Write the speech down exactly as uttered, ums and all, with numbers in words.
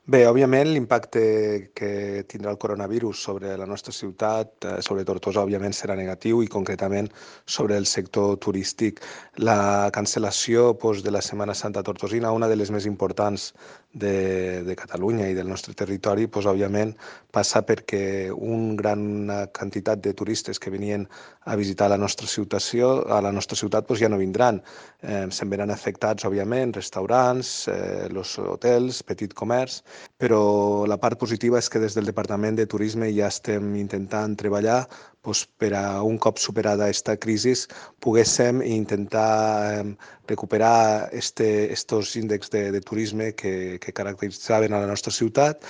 Bé, òbviament l'impacte que tindrà el coronavirus sobre la nostra ciutat, eh, sobre Tortosa, òbviament serà negatiu i concretament sobre el sector turístic. La cancel·lació doncs, de la Setmana Santa tortosina, una de les més importants de, de Catalunya i del nostre territori, doncs, òbviament passa perquè una gran quantitat de turistes que venien a visitar la nostra ciutat, a la nostra ciutat doncs, ja no vindran. Eh, se'n veran afectats, òbviament, restaurants, eh, els hotels, petit comerç, però la part positiva és que des del Departament de Turisme ja estem intentant treballar doncs, per a un cop superada aquesta crisi poguéssim intentar eh, recuperar este, estos índexs de, de turisme que, que caracteritzaven a la nostra ciutat